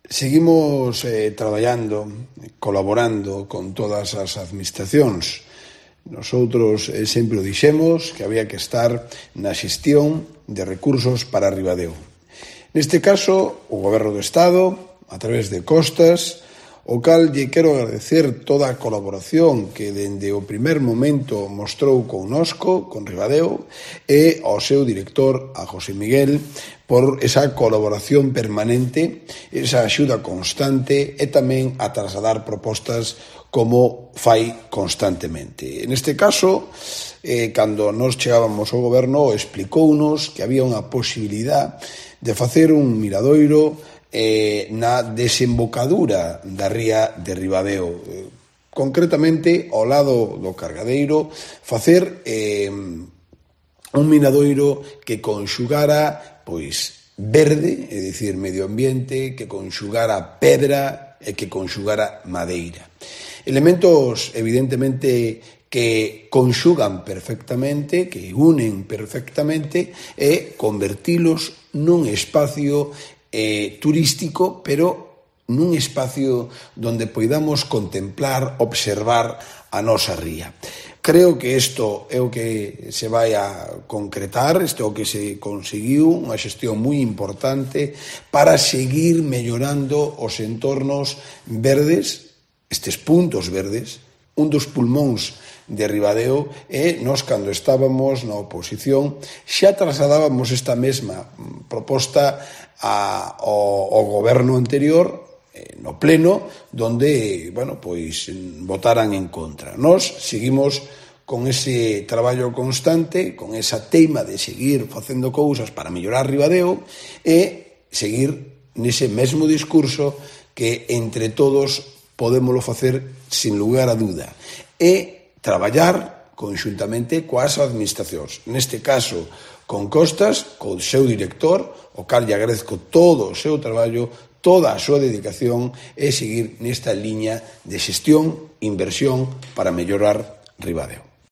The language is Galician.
Seguimos traballando, colaborando con todas as administracións. Nosotros sempre o dixemos que había que estar na xestión de recursos para Ribadeo. Neste caso, o Goberno do Estado, a través de Costas, o cal lle quero agradecer toda a colaboración que dende o primer momento mostrou connosco, con Ribadeo, e ao seu director, a José Miguel, por esa colaboración permanente, esa axuda constante e tamén a trasladar propostas como fai constantemente. Neste caso, cando nos chegábamos ao goberno, explicounos que había unha posibilidad de facer un miradoiro na desembocadura da ría de Ribadeo, concretamente ao lado do cargadeiro, facer un miradoiro que conxugara verde, é dicir, medio ambiente, que conxugara pedra e que conxugara madeira. Elementos, evidentemente, que conxugan perfectamente, que unen perfectamente e convertilos nun espacio turístico, pero nun espacio donde poidamos contemplar, observar a nosa ría. Creo que isto é o que se vai a concretar, isto é o que se conseguiu, unha xestión moi importante para seguir mellorando os entornos verdes, estes puntos verdes, un dos pulmóns de Ribadeo, e nós, cando estábamos na oposición, xa trasladábamos esta mesma proposta ao goberno anterior, no pleno, donde, votaran en contra. Nós seguimos con ese traballo constante, con esa teima de seguir facendo cousas para mellorar Ribadeo e seguir nese mesmo discurso que entre todos podémolo facer sin lugar a dúda e traballar conxuntamente coas administracións. Neste caso, con Costas, co seu director, o cal lle agradezco todo o seu traballo, toda a súa dedicación e seguir nesta liña de xestión, inversión para mellorar Ribadeo.